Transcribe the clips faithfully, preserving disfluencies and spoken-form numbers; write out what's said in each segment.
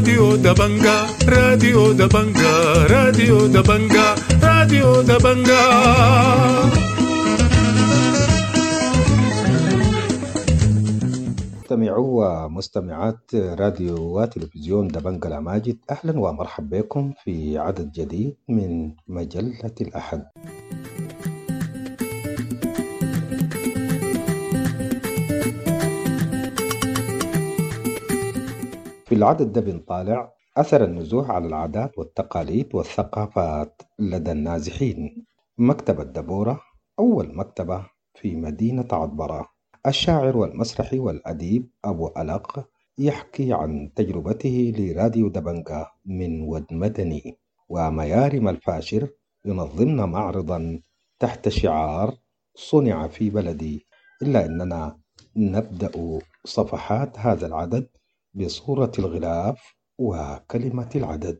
راديو دبنجا، راديو دبنجا، راديو دبنجا، راديو دبنجا. مستمعو ومستمعات راديو وتلفزيون دبنجا الأماجد، أهلا ومرحبا بكم في عدد جديد من مجلة الأحد. في العدد ده بنطالع أثر النزوح على العادات والتقاليد والثقافات لدى النازحين. مكتبة دبورة أول مكتبة في مدينة عطبرة. الشاعر والمسرحي والأديب أبو ألق يحكي عن تجربته لراديو دبنجا من ود مدني. وميارم الفاشر ينظمنا معرضا تحت شعار صنع في بلدي. إلا أننا نبدأ صفحات هذا العدد بصورة الغلاف وكلمة العدد.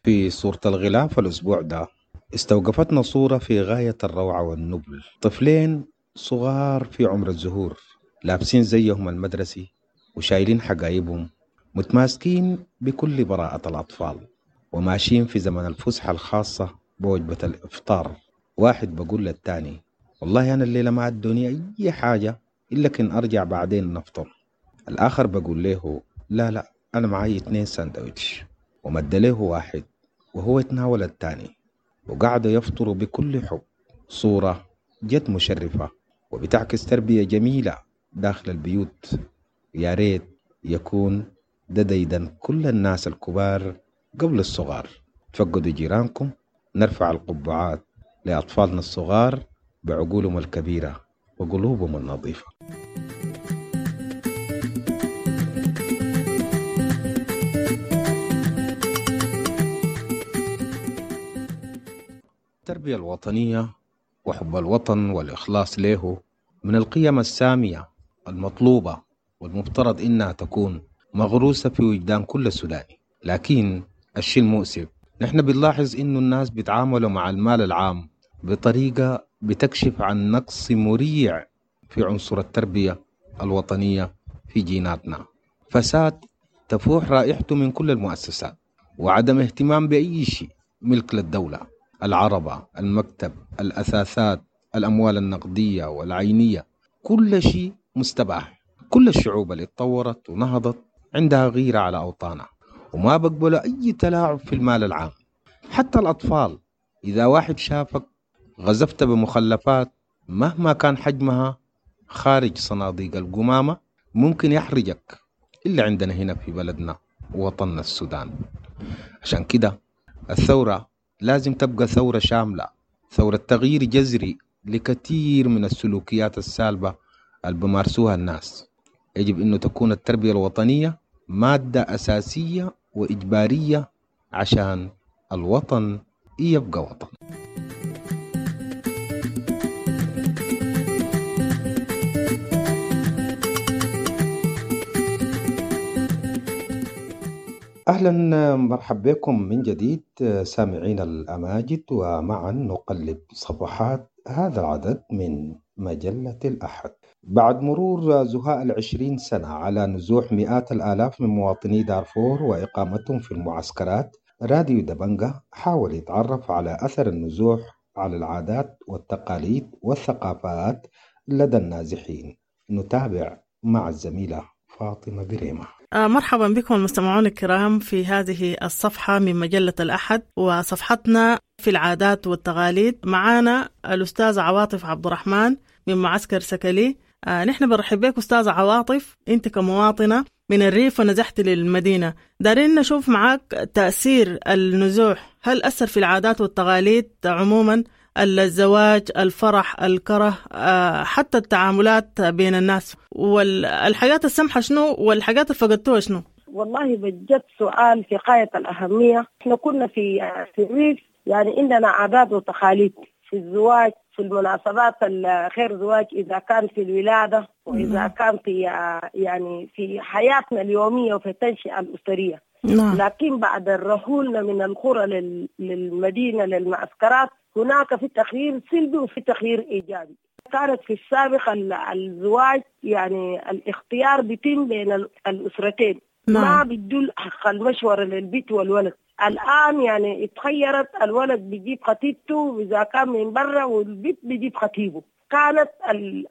في صورة الغلاف الأسبوع ده استوقفتنا صورة في غاية الروعة والنبل، طفلين صغار في عمر الزهور، لابسين زيهم المدرسي وشايلين حقايبهم، متماسكين بكل براءة الأطفال، وماشيين في زمن الفسحة الخاصة بوجبة الإفطار. واحد بقول للتاني: والله أنا الليلة ما أدوني أي حاجة إلا كن أرجع بعدين نفطر. الآخر بقول له: لا لا أنا معي اتنين ساندويتش، ومد له واحد وهو يتناول الثاني، وقعدوا يفطروا بكل حب. صورة جد مشرفة وبتعكس تربية جميلة داخل البيوت. يا ريت يكون ده ديدن كل الناس الكبار قبل الصغار. تفقدوا جيرانكم، نرفع القبعات لأطفالنا الصغار بعقولهم الكبيرة وقلوبهم النظيفة. التربية الوطنية وحب الوطن والإخلاص له من القيم السامية المطلوبة والمفترض إنها تكون مغروسة في وجدان كل سوداني. لكن الشيء المؤسف نحن بنلاحظ إنه الناس بيتعاملوا مع المال العام بطريقة بتكشف عن نقص مريع في عنصر التربية الوطنية في جيناتنا. فساد تفوح رائحته من كل المؤسسات، وعدم اهتمام بأي شيء ملك للدولة: العربة، المكتب، الأثاثات، الأموال النقدية والعينية، كل شيء مستباح. كل الشعوب اللي اتطورت ونهضت عندها غيرة على أوطانها، وما بقبلوا أي تلاعب في المال العام. حتى الأطفال إذا واحد شافك غزفت بمخلفات مهما كان حجمها خارج صناديق القمامة ممكن يحرجك، إلا عندنا هنا في بلدنا ووطننا السودان. عشان كده الثورة لازم تبقى ثورة شاملة، ثورة تغيير جذري لكثير من السلوكيات السالبة اللي بمارسوها الناس. يجب أنه تكون التربية الوطنية مادة أساسية وإجبارية عشان الوطن يبقى وطن. أهلا مرحبا بكم من جديد سامعين الأماجد، ومعا نقلب صفحات هذا العدد من مجلة الأحد. بعد مرور زهاء العشرين سنة على نزوح مئات الآلاف من مواطني دارفور وإقامتهم في المعسكرات، راديو دبنجا حاول يتعرف على أثر النزوح على العادات والتقاليد والثقافات لدى النازحين. نتابع مع الزميلة فاطمة بريمة. مرحبا بكم المستمعون الكرام في هذه الصفحة من مجلة الأحد، وصفحتنا في العادات والتقاليد. معانا الأستاذ عواطف عبد الرحمن من معسكر سكلي. آه نحن بنرحب بك أستاذ عواطف، أنت كمواطنة من الريف ونزحت للمدينة، دارين نشوف معاك تأثير النزوح، هل أثر في العادات والتقاليد عموما، الزواج، الفرح، الكره، آه حتى التعاملات بين الناس، والحاجات السمحة شنو والحاجات اللي فقدتوها شنو؟ والله بجد سؤال في غاية الأهمية. احنا كنا في في الريف يعني عندنا عادات وتقاليد في الزواج، في المناسبات الخير زواج، إذا كان في الولادة وإذا كان في يعني في حياتنا اليومية وفي التنشئة الأسرية. نعم. لكن بعد الرحولنا من القرى للمدينة للمعسكرات هناك في تغيير سلبي وفي تغيير إيجابي. كانت في السابق الزواج يعني الاختيار بيتم بين الأسرتين. نعم. ما بيدوا حق المشورة للبيت والولد. الآن يعني اتخيرت، الولد بيجيب خطيبته إذا كان من برا والبيت بيجيب خطيبه. كانت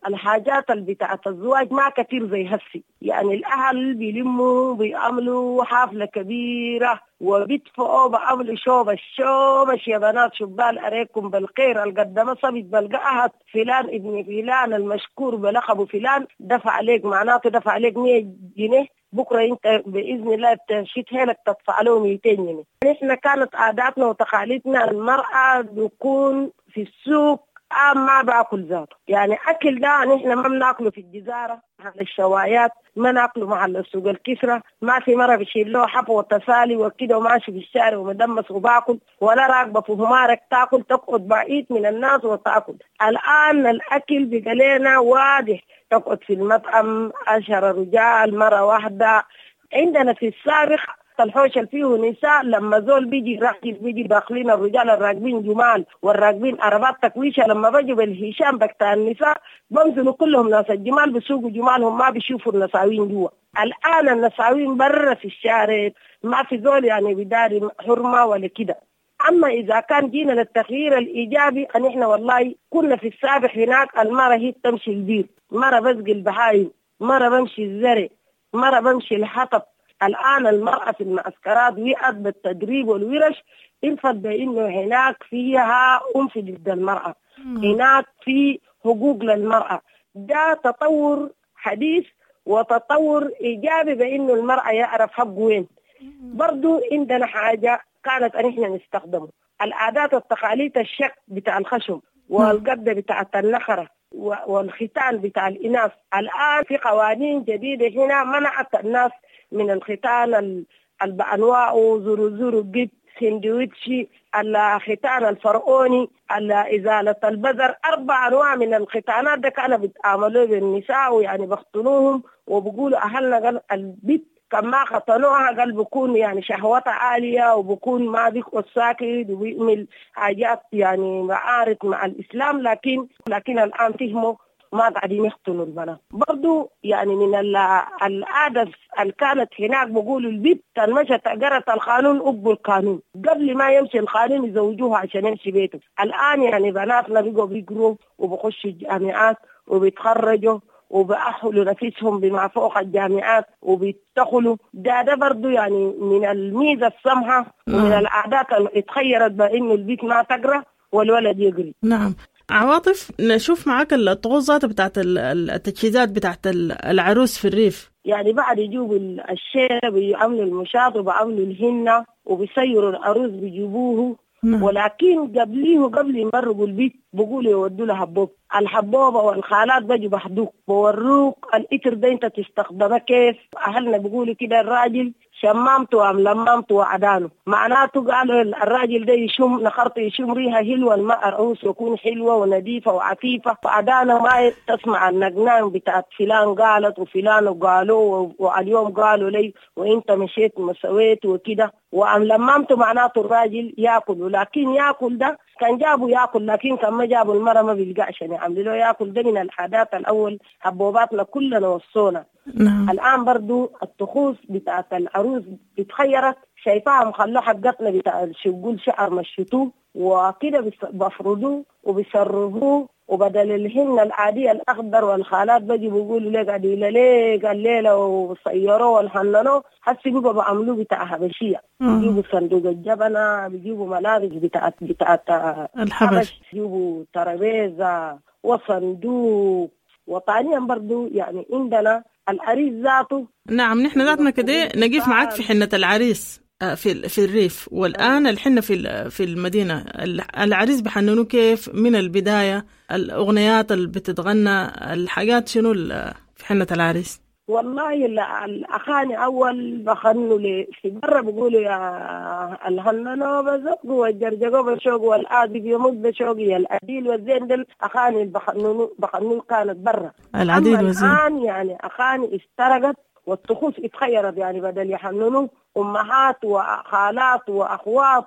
الحاجات اللي بتاعت الزواج ما كتير زي هسي، يعني الأهل بيلموا بيعملوا حفلة كبيرة وبيدفعوا بعملوا شوبش شوبش يا بنات شبال أريكم بالخير القدمة صبت بلقاها فلان ابن فلان المشكور بلقبه فلان دفع عليك، معناته دفع عليك مية جنيه، بكرة انت بإذن الله بتشيت هيلك تدفع له مئتين جنيه. نحن كانت عاداتنا وتقاليدنا المرأة بيكون في السوق عام ما باكل ذاته، يعني أكل ده نحن ما بناكله في الجزارة على الشوايات، ما ناكله مع السوق الكسرة، ما في مرة بشيل له حب وتسالي وكده وماشي في الشارع ومدمس وباكل، ولا راكبة في همارك تاكل، تقعد بعيد من الناس وتاكل. الآن الأكل بقى لنا واضح، تقعد في المطعم عشرة رجال مرة واحدة. عندنا في السابق الحوش اللي فيه نساء لما زول بيجي راجل بيجي داخلين الرجال الراكبين جمال والراكبين عربات تكويشه، لما بيجوا بالهشام بتاع النساء بنزلوا كلهم ناس الجمال بيسوقوا جمالهم، ما بيشوفوا النساوين جوا. الآن النساوين برا في الشارع، ما في زول يعني بداري حرمة ولا كده. أما إذا كان جينا للتغيير الإيجابي أن إحنا والله كنا في السابق هناك المرة هي تمشي البير، مرة بسقي البهايم، مرة بمشي الزرع، مرة بمشي الحطب. الآن المرأة في المعسكرات وقعت بالتدريب والورش، انفض بأنه هناك فيها أنف ضد المرأة، هناك في حقوق للمرأة. ده تطور حديث وتطور إيجابي بأنه المرأة يعرف حقه وين. برضو عندنا حاجة كانت أن إحنا نستخدمه، العادات والتقاليد، الشك بتاع الخشم والقبضة بتاعة النخرة والختان بتاع الإناث. الآن في قوانين جديدة هنا منعت الناس من الختان بأنواعه، زورو زورو جد، سندويتشي، الختان الفرعوني، إزالة البذر، أربع أنواع من الختانات ده كانوا بيتعاملوا بالنساء ويعني بختنوهم وبقولوا أهلنا قال البيت كما ختنوها قال بكون يعني شهوتها عالية وبكون ما بيقعد ساكت وبيعمل حاجات يعني معارض مع الإسلام، لكن لكن الآن فهموا ما قاعدين يختنوا البنات. برضو يعني من العادة اللي كانت هناك بقولوا البيت كان مشت قرت القانون أبو القانون قبل ما يمشي القانون يزوجوها عشان يمشي بيته. الآن يعني بناتنا بيقوا بيقروا وبخشوا الجامعات وبيتخرجوا وبأحلوا نفسهم بما فوق الجامعات وبيتدخلوا. ده ده برضو يعني من الميزة السمحة ومن العادات اللي اتخيرت بأنه البيت ما تقرأ والولد يقري. نعم عواطف، نشوف معاك الطقوس بتاعت التجهيزات بتاعت العروس في الريف. يعني بعد يجيبوا الشيء بيعملوا المشاط وبيعملوا الهنة وبيسيروا العروس بيجيبوه. نعم. ولكن قبليه قبل يمرقوا البيت بقولوا يودوا لها حبوب، الحبوبة والخالات بيجوا بحدوك بوروك الإتر ده انت تستخدمه كيف. أهلنا بيقولوا كده الراجل شمامته أم لمامته وعدانه، معناته قالوا الراجل ده يشم نخرته يشم ريها حلوة، الماء العروس يكون حلوة ونظيفة وعفيفة، وعدانه ما تسمع النقنان بتاعت فلان قالت وفلان قالوا واليوم قالوا لي وانت مشيت وسويت وكده. وأم لمامته معناته الراجل ياكل، ولكن ياكل ده كان جابوا ياكل، لكن كان ما جابوا المرة ما بيلقى عشان يعملوا له ياكل. ده من العادات الأول حبوباتنا كلنا وصونا. نعم. الآن برضو الطقوس بتاعت العروس اتخيرت، شايفاها مخلوه حقتنا بتاع شقول شعر مشيتوه وكده بفردوه وبيسربوه، وبدل الهن العادية الأخضر والخالات بيجي بيقولوا لك عديلة ليه قال ليلة وصيروه والحننوه، حسي بيبقى بعملوه بتاع حبشية، بيجيبوا صندوق الجبنة، بيجيبوا ملابس بتاعت بتاعت الحبش، بيجيبوا ترابيزة وصندوق. وطانيا برضو يعني عندنا العريس ذاته. نعم نحن ذاتنا كده نقف معاك في حنة العريس في في الريف، والآن الحنة في في المدينة. العريس بحننوه كيف من البداية؟ الأغنيات اللي بتتغنى، الحاجات شنو في حنة العريس؟ والله الأخاني أول بخنوا لي في برا بيقولوا يا الهننو بزق والجرجقو بشوق والآدي بيموت بشوق يا العديل والزين، دل أخاني بخنوا بخنوا كانت برا العديل والزين. الآن يعني أخاني استرقت والطقوس اتغيرت، يعني بدل يحننوا أمهات وخالات وأخوات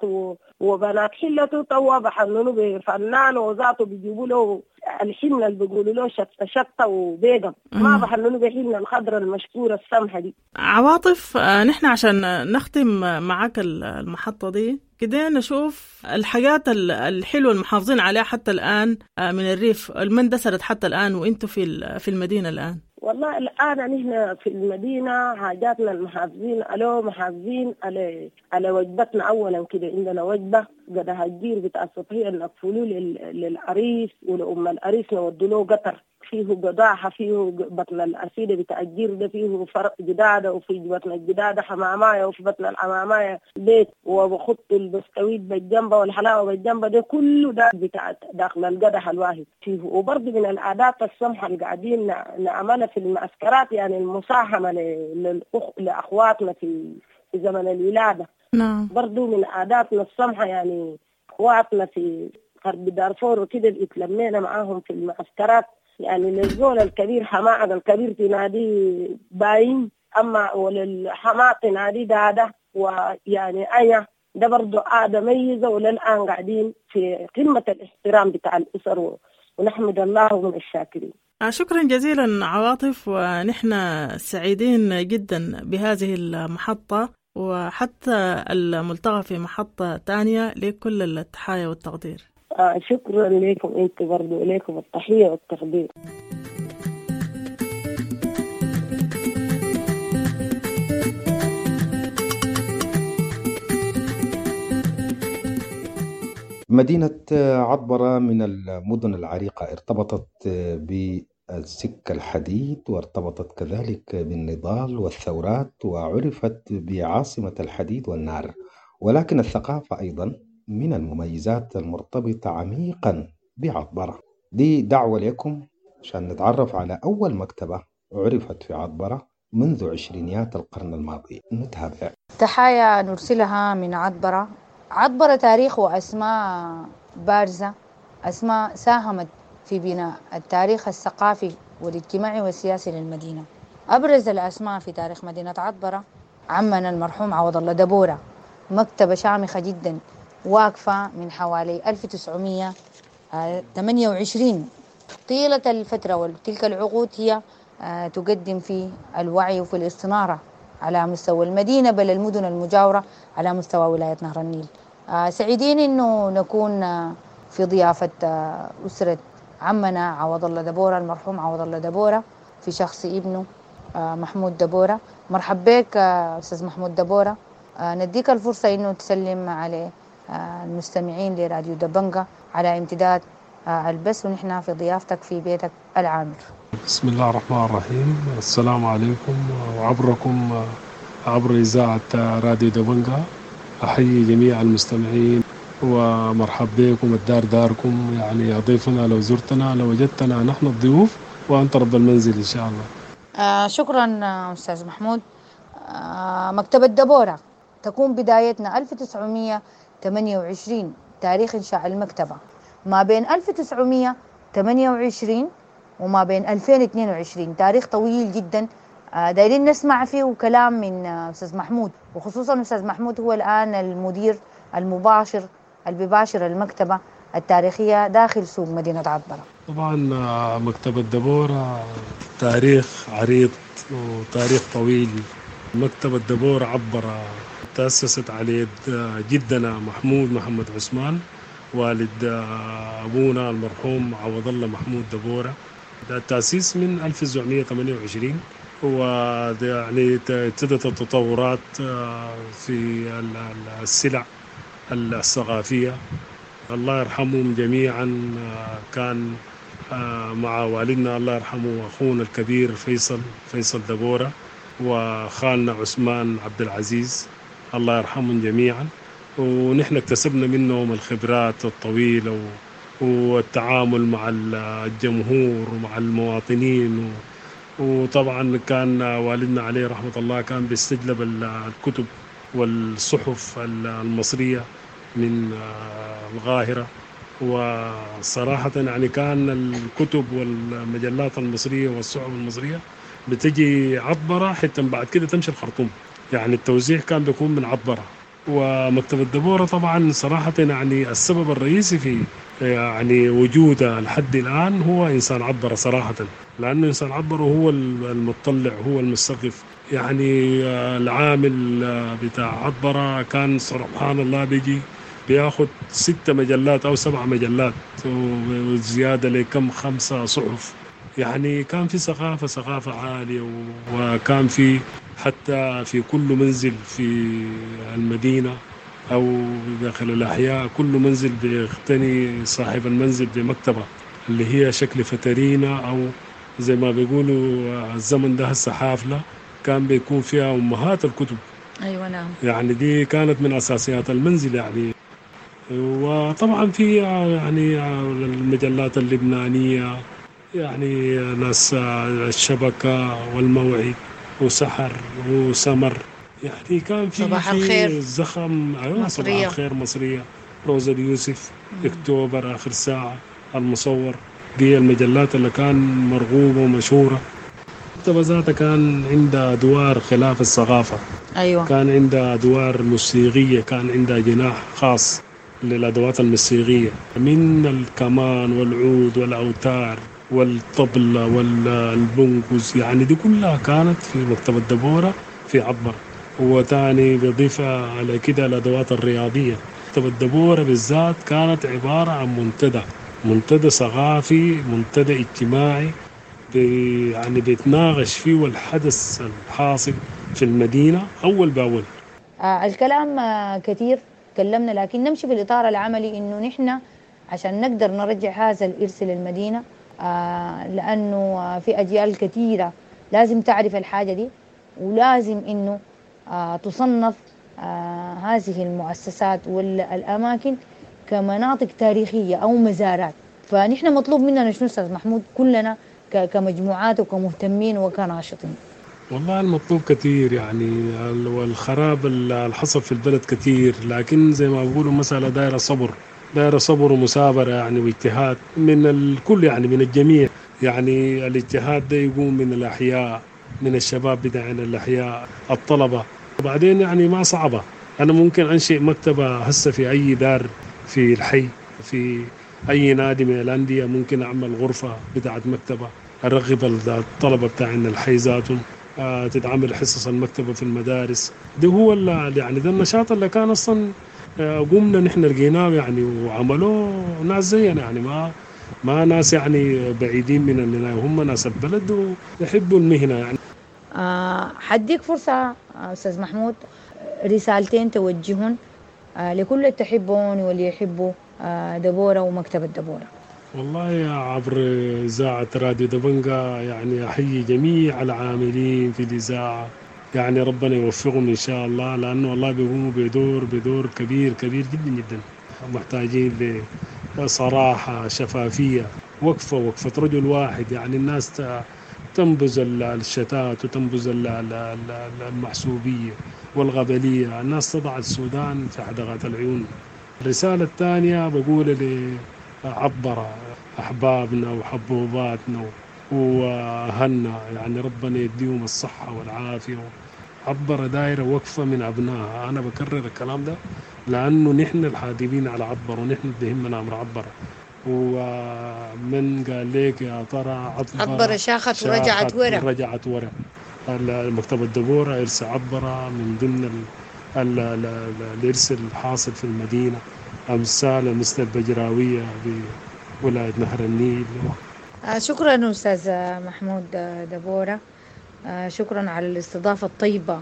وبنات حلته توا بحننوا بفنان وذاته بيجيبوا له الحنة اللي بيقولوا له شطة شطة وبيضة، ما بحننوا بحنة الخضرة المشكورة السمحة دي. عواطف، نحن عشان نختم معك المحطة دي كده نشوف الحاجات الحلوة المحافظين عليها حتى الآن من الريف اللي اندثرت حتى الآن وانتم في في المدينة الآن. والله الآن نحن في المدينة حاجاتنا المحافظين ألو محافظين على على وجبتنا. أولا كده عندنا وجبة قدها الجير بتاع الصبحية نقفلوه للعريس ولأم العريس نودوا له قطر فيه قضاحة، فيه بطن الأسيدة بتاع الجير ده فيه فرق جدادة، وفي بطن الجدادة حماماية، وفي بطن الحماماية بيت، وبخط البسكويت بالجنبة والحلاوة بالجنبة، ده كله ده بتاع داخل القدح الواحد فيه. وبرضه من العادات السمحة اللي قاعدين نعملها في المعسكرات يعني المساهمة للأخ... لأخواتنا في في زمن الولادة. نعم. برضه من عاداتنا السمحة يعني أخواتنا في غرب دارفور وكده اللي اتلمينا معاهم في المعسكرات، يعني للزول الكبير حماعة الكبير تنادي باين، أما وللحماة تنادي دادة، ويعني أيا ده برضو عادة ميزة، وللآن قاعدين في قمة الاحترام بتاع الأسر، ونحمد الله ومن الشاكرين. شكرا جزيلا عواطف، ونحن سعيدين جدا بهذه المحطة وحتى الملتقى في محطة تانية. لكل التحايا والتقدير. آه شكرا لكم انتم برضو، لكم التحية والتقدير. مدينة عطبرة من المدن العريقة، ارتبطت بالسكة الحديد وارتبطت كذلك بالنضال والثورات، وعرفت بعاصمة الحديد والنار. ولكن الثقافة أيضا من المميزات المرتبطة عميقا بعطبرة. دي دعوة لكم عشان نتعرف على أول مكتبة عرفت في عطبرة منذ عشرينيات القرن الماضي. نتابع. تحايا نرسلها من عطبرة. عطبرة تاريخ وأسماء بارزة، أسماء ساهمت في بناء التاريخ الثقافي والاجتماعي والسياسي للمدينة. أبرز الأسماء في تاريخ مدينة عطبرة عمنا المرحوم عوض الله دبورة، مكتبة شامخة جدا واقفة من حوالي ألف وتسعمية وثمانية وعشرين. طيلة الفترة وتلك العقود هي تقدم في الوعي وفي الاستنارة على مستوى المدينة بل المدن المجاورة على مستوى ولاية نهر النيل. سعيدين أنه نكون في ضيافة أسرة عمنا عوض الله دبورة المرحوم عوض الله دبورة في شخص ابنه محمود دبورة. مرحب بك أستاذ محمود دبورة، نديك الفرصة أنه تسلم على المستمعين لراديو دبنجة على امتداد البث، ونحن في ضيافتك في بيتك العامر. بسم الله الرحمن الرحيم. السلام عليكم، وعبركم عبر إذاعة راديو دبنجة أحيي جميع المستمعين ومرحب بكم. الدار داركم، يعني ضيفنا لو زرتنا لو وجدتنا نحن الضيوف وأنت رب المنزل إن شاء الله. آه شكرا أستاذ محمود. آه مكتبة دبورة تكون بدايتنا ألف وتسعمية وثمانية وعشرين تاريخ إنشاء المكتبة، ما بين ألف وتسعمية وثمانية وعشرين وما بين ألفين واثنين وعشرين، تاريخ طويل جدا دايرين نسمع فيه كلام من أستاذ محمود، وخصوصا أستاذ محمود هو الآن المدير المباشر المباشر المكتبة التاريخية داخل سوق مدينة عطبرة. طبعا مكتبة دبورة تاريخ عريض وتاريخ طويل. مكتبة دبورة عبرة تأسست على يد جدنا محمود محمد عثمان والد أبونا المرحوم عوض الله محمود دبورة. ده التأسيس من ألف وتسعمية وثمانية وعشرين، ويعني ابتدت التطورات في السلع الثقافية. الله يرحمهم جميعا. كان مع والدنا الله يرحمه أخونا الكبير فيصل فيصل دبورة وخالنا عثمان عبد العزيز الله يرحمهم جميعا. ونحن اكتسبنا منهم الخبرات الطويلة والتعامل مع الجمهور ومع المواطنين. وطبعا كان والدنا عليه رحمة الله كان بيستجلب الكتب والصحف المصرية من القاهرة، وصراحة يعني كان الكتب والمجلات المصرية والصحف المصرية بتجي عطبرة حتى بعد كده تمشي الخرطوم. يعني التوزيع كان بيكون من عطبرة. ومكتبة دبورة طبعا صراحة يعني السبب الرئيسي في يعني وجودها لحد الآن هو إنسان عطبرة صراحة، لأنه إنسان عطبرة هو المتطلع، هو المستقف. يعني العامل بتاع عطبرة كان سبحان الله بيجي بياخد ستة مجلات أو سبع مجلات وزيادة لكم خمسة صحف. يعني كان في ثقافة ثقافة عالية، وكان في حتى في كل منزل في المدينة أو داخل الأحياء كل منزل بيغتني صاحب المنزل بمكتبة اللي هي شكل فترينة، أو زي ما بيقولوا الزمن ده هسه حافلة، كان بيكون فيها أمهات الكتب. أيوة نعم. يعني دي كانت من أساسيات المنزل يعني. وطبعا في يعني المجلات اللبنانية، يعني ناس الشبكة والموعد وسحر وسمر، يعني كان في صباح الخير زخم. أيوة صباح الخير مصرية، روزا اليوسف، أكتوبر، آخر ساعة، المصور، دي المجلات اللي كان مرغوبة ومشهورة. المكتبة ذاتها كان عندها أدوار خلاف الثقافة. أيوة. كان عندها أدوار موسيقية، كان عندها جناح خاص للأدوات الموسيقية من الكمان والعود والأوتار والطبلة والبنقز، يعني دي كلها كانت في مكتبة دبورة في عطبرة. وتاني بضيف على كده الأدوات الرياضية. مكتبة دبورة بالذات كانت عبارة عن منتدى، منتدى ثقافي، منتدى اجتماعي، بي يعني بيتناقش فيه الحدث الحاصل في المدينة أول بأول. آه الكلام آه كثير تكلمنا، لكن نمشي في الإطار العملي إنه نحن عشان نقدر نرجع هذا الإرث للمدينة، آه لأنه في أجيال كثيرة لازم تعرف الحاجة دي، ولازم إنه آه تصنف آه هذه المؤسسات والأماكن كمناطق تاريخية أو مزارات. فنحن مطلوب مننا شنو أستاذ محمود كلنا كمجموعات وكمهتمين وكناشطين؟ والله المطلوب كثير يعني، والخراب اللي حصل في البلد كثير، لكن زي ما بقولوا مسألة دايرة صبر، دايرة صبر ومثابرة يعني، واجتهاد من الكل يعني، من الجميع يعني. الاجتهاد ده يقوم من الأحياء، من الشباب بتاعنا الأحياء، الطلبة. وبعدين يعني ما صعبة، أنا ممكن أنشئ مكتبة هسه في أي دار في الحي، في أي نادي من الأندية، ممكن أعمل غرفة بتاعت مكتبة، أرغب الطلبة بتاعنا الحي ذاتهم، تتعمل حصص المكتبة في المدارس. ده هو يعني ده النشاط اللي كان أصلا قمنا نحن لقيناه يعني، وعملوه ناس زينا يعني، ما ما ناس يعني بعيدين من هم ناس البلد ويحبوا المهنة يعني. آه حديك فرصة أستاذ محمود، رسالتين توجهن آه لكل اللي تحبون واللي يحبوا آه دبورة ومكتبة دبورة. والله عبر إذاعة راديو دبنجا يعني أحيي جميع العاملين في الإذاعة، يعني ربنا يوفقهم إن شاء الله، لأنه والله بيقوموا بدور بدور كبير كبير جدا جدا. محتاجين لصراحة، شفافية، وقفة وقفة رجل واحد يعني. الناس تنبذ الشتات وتنبذ المحسوبية والغبلية، الناس تضع السودان في حدقات العيون. الرسالة الثانية بقول لعبرة أحبابنا وحبوباتنا وأهلنا، يعني ربنا يديهم الصحة والعافية. عبرة دايرة وقفة من أبنائها، أنا بكرر الكلام ده لأنه نحن الحادبين على عبرة ونحن اللي بيهمنا أمر عبرة. ومن قال لك يا ترى عبرة عبرة شاخت ورجعت ورا، رجعت ورا. مكتبة دبورة إرث عبرة من ضمن ال ال الإرث الحاصل في المدينة، أمثال مثل البجراوية بولاية نهر النيل. شكرا أستاذ محمود دبورة، شكرا على الاستضافة الطيبة.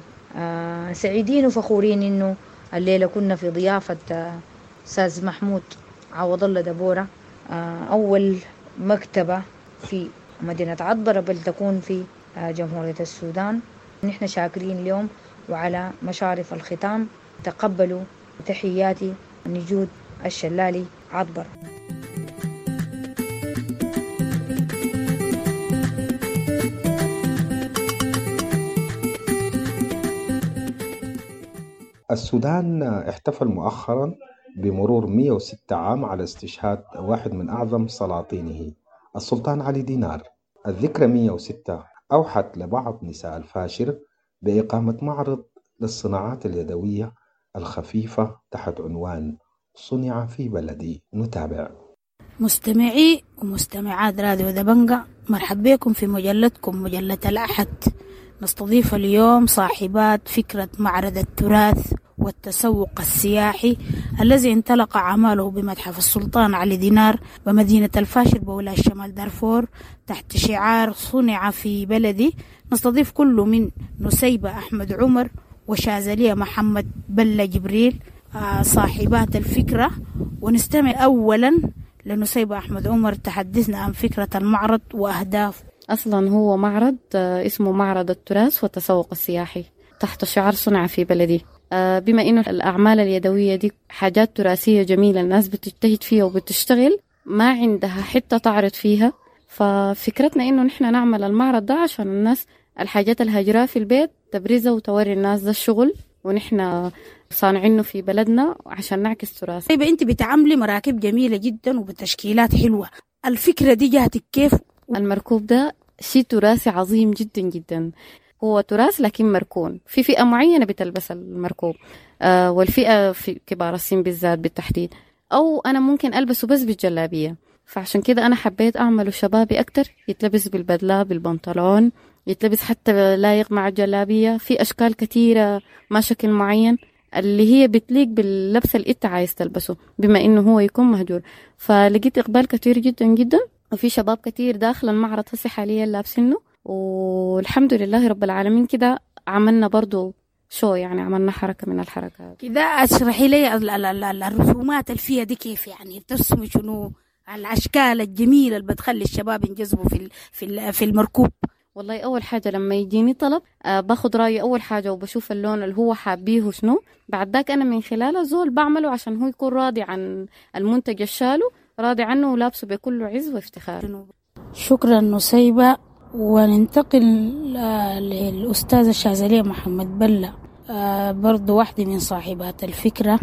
سعيدين وفخورين إنه الليلة كنا في ضيافة أستاذ محمود عوض الله دبورة، أول مكتبة في مدينة عطبرة بل تكون في جمهورية السودان. نحن شاكرين اليوم، وعلى مشارف الختام تقبلوا تحياتي نجود الشلالي عطبرة. السودان احتفل مؤخرا بمرور مئة وستة عام على استشهاد واحد من أعظم سلاطينه السلطان علي دينار. الذكرى مئة وستة أوحت لبعض نساء الفاشر بإقامة معرض للصناعات اليدوية الخفيفة تحت عنوان صنع في بلدي. نتابع. مستمعي ومستمعات راديو دبنجة، مرحب بكم في مجلتكم مجلة الأحد. نستضيف اليوم صاحبات فكرة معرض التراث والتسوق السياحي الذي انطلق أعماله بمتحف السلطان علي دينار بمدينة الفاشر بولاية شمال دارفور تحت شعار صنع في بلدي. نستضيف كل من نسيبة أحمد عمر وشاذلية محمد بلة جبريل صاحبات الفكرة. ونستمع أولا لنسيبة أحمد عمر تحدثنا عن فكرة المعرض وأهدافه. أصلا هو معرض اسمه معرض التراث والتسوق السياحي تحت شعار صنع في بلدي. بما إنه الأعمال اليدوية دي حاجات تراثية جميلة الناس بتجتهد فيها وبتشتغل، ما عندها حتة تعرض فيها، ففكرتنا إنه نحن نعمل المعرض ده عشان الناس الحاجات الهاجرة في البيت تبرزها وتوري الناس ده الشغل ونحن صانعينه في بلدنا عشان نعكس تراث. طيب أنت بتعملي مراكب جميلة جدا وبتشكيلات حلوة، الفكرة دي جاتك كيف؟ المركوب ده شيء تراثي عظيم جدا جدا، هو تراث لكن مركون في فئة معينة بتلبس المركوب، آه والفئة في كبار السن بالذات بالتحديد، أو أنا ممكن ألبسه بس بالجلابية. فعشان كده أنا حبيت أعمله شبابي أكتر، يتلبس بالبدلة بالبنطلون، يتلبس حتى لايق مع الجلابية، في أشكال كثيرة ما شكل معين اللي هي بتليق باللبس اللي انت عايز تلبسه بما انه هو يكون مهجور. فلقيت إقبال كثير جدا جدا، وفي شباب كثير داخل المعرض هسه حاليا لابسينه، والحمد لله رب العالمين. كده عملنا برضو شو يعني عملنا حركة من الحركات كده. اشرحي لي الرسومات الفيها دي كيف، يعني بترسمي شنو، الأشكال الجميلة اللي بتخلي الشباب ينجذبوا في في في المركوب؟ والله أول حاجة لما يجيني طلب آه باخد رأيي أول حاجة وبشوف اللون اللي هو حابيه شنو، بعد ذاك أنا من خلاله زول بعمله عشان هو يكون راضي عن المنتج الشالو، راضي عنه ولابسه بكل عز وافتخار. شكرا نسيبة. وننتقل للأستاذة الشاذلية محمد بلة، برضو واحدة من صاحبات الفكرة،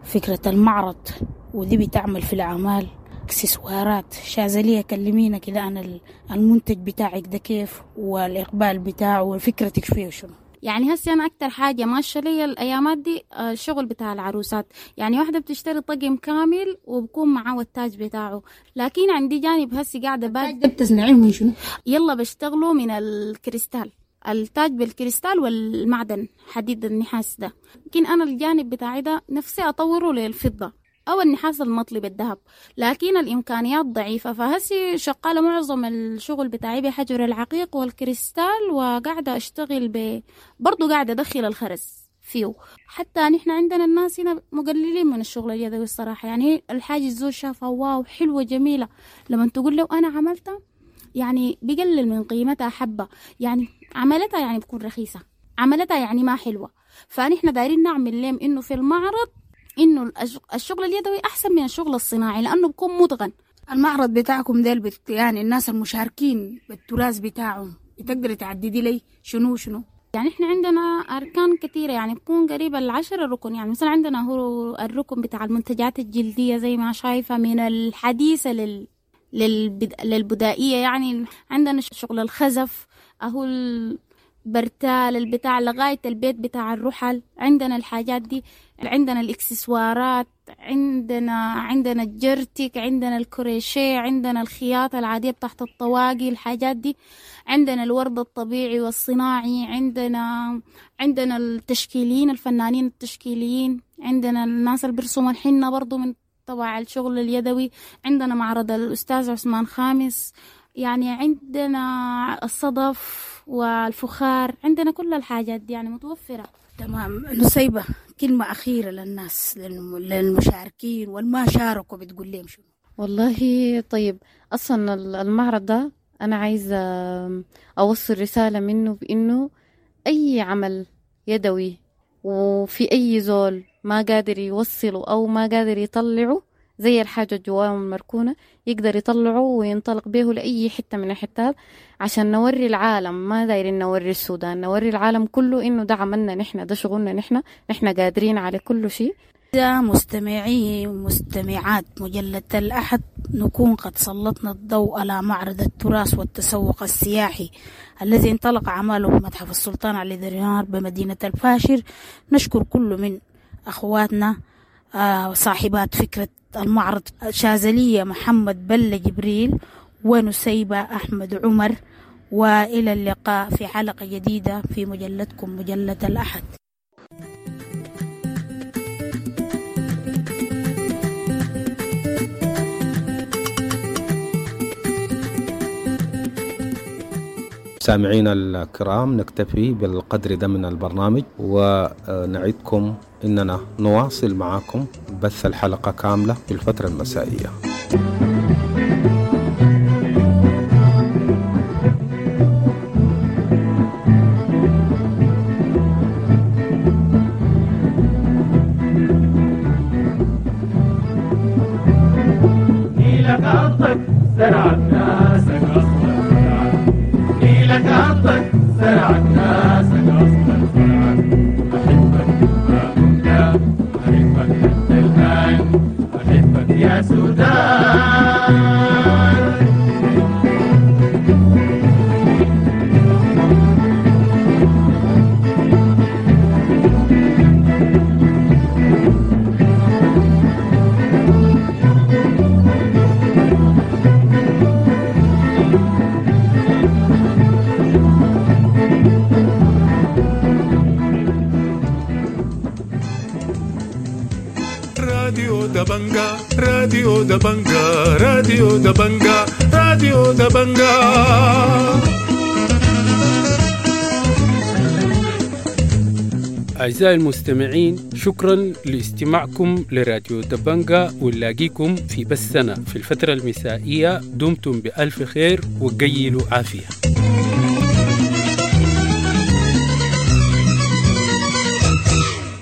فكرة المعرض، ودي بتعمل في الأعمال اكسسوارات. شاذلية كلمينا كده عن المنتج بتاعك ده كيف، والإقبال بتاعه، وفكرتك فيه شنو؟ يعني هسه أنا أكتر حاجة ماشية لي الأيامات دي الشغل بتاع العروسات، يعني واحدة بتشتري طقم كامل وبكون معاه التاج بتاعه، لكن عندي جانب هسه قاعدة التاج ده بتصنعيه من شنو؟ يلا بشتغله من الكريستال، التاج بالكريستال والمعدن حديد النحاس ده، لكن أنا الجانب بتاعي ده نفسي أطوره للفضة أو النحاس المطلي بالذهب، لكن الإمكانيات ضعيفة. فهسي شغالة معظم الشغل بتاعي بحجر العقيق والكريستال، وقاعدة أشتغل ب برضو قاعدة أدخل الخرز فيه. حتى نحن عندنا الناس هنا مقللين من الشغل اليدوي الصراحة، يعني الحاجة الزول شافها واو حلوة جميلة، لما تقول له أنا عملتها يعني بقلل من قيمتها حبة، يعني عملتها يعني بتكون رخيصة، عملتها يعني ما حلوة. فنحن دايرين نعمل لهم إنه في المعرض إنه الشغل اليدوي أحسن من الشغل الصناعي لأنه بيكون متقن. المعرض بتاعكم ده بت... يعني الناس المشاركين بالتراث بتاعهم بتقدري تعددي لي شنو شنو؟ يعني إحنا عندنا أركان كثيرة، يعني بكون قريبة العشرة ركن. يعني مثلا عندنا هو الركن بتاع المنتجات الجلدية زي ما شايفة من الحديثة لل... للبد... للبدائية، يعني عندنا شغل الخزف أهو البرتال البتاع لغاية البيت بتاع الرحل، عندنا الحاجات دي، عندنا الاكسسوارات، عندنا عندنا الجرتك، عندنا الكروشيه، عندنا الخياطة العادية بتاعت الطواقي، الحاجات دي، عندنا الورد الطبيعي والصناعي، عندنا عندنا التشكيليين الفنانين التشكيليين، عندنا الناس اللي بيرسموا الحنة برضو من تبع الشغل اليدوي، عندنا معرض الأستاذ عثمان خامس، يعني عندنا الصدف والفخار، عندنا كل الحاجات دي يعني متوفرة. تمام. نسيبة، كلمة أخيرة للناس للمشاركين والما شاركوا بتقول لهم شنو؟ والله طيب، أصلا المعرض ده أنا عايزة أوصل رسالة منه بإنه أي عمل يدوي وفي أي زول ما قادر يوصله أو ما قادر يطلعه زي الحاجة جواه المركونة يقدر يطلعه وينطلق به لأي حتة من الحتات، عشان نوري العالم، ما دايرين نوري السودان، نوري العالم كله إنه ده عملنا نحن، ده شغلنا نحن، نحن قادرين على كل شيء. مستمعي ومستمعات مجلة الأحد، نكون قد سلطنا الضوء على معرض التراث والتسوق السياحي الذي انطلق عمله بمتحف السلطان علي درينار بمدينة الفاشر. نشكر كل من أخواتنا صاحبات فكرة المعرض، شاذلية محمد بلة جبريل ونسيبة أحمد عمر، وإلى اللقاء في حلقة جديدة في مجلتكم مجلة الأحد. سامعينا الكرام، نكتفي بالقدر ده من البرنامج، ونعدكم إننا نواصل معكم بث الحلقة كاملة في الفترة المسائية. نيلك أرضك زرعت ناسك أصلا فرعك، نيلك أرضك زرعت ناسك أصلا فرعك. أحبك ما كنت، أحبك حتى الآن، أحبك يا سودان. راديو دبنجا، راديو دبنجا، راديو دبنجا، راديو دبنجا. أعزائي المستمعين، شكرا لاستماعكم لراديو دبنجا، ونلاقيكم في بثنا في الفترة المسائية. دمتم بألف خير وقيلوا عافية.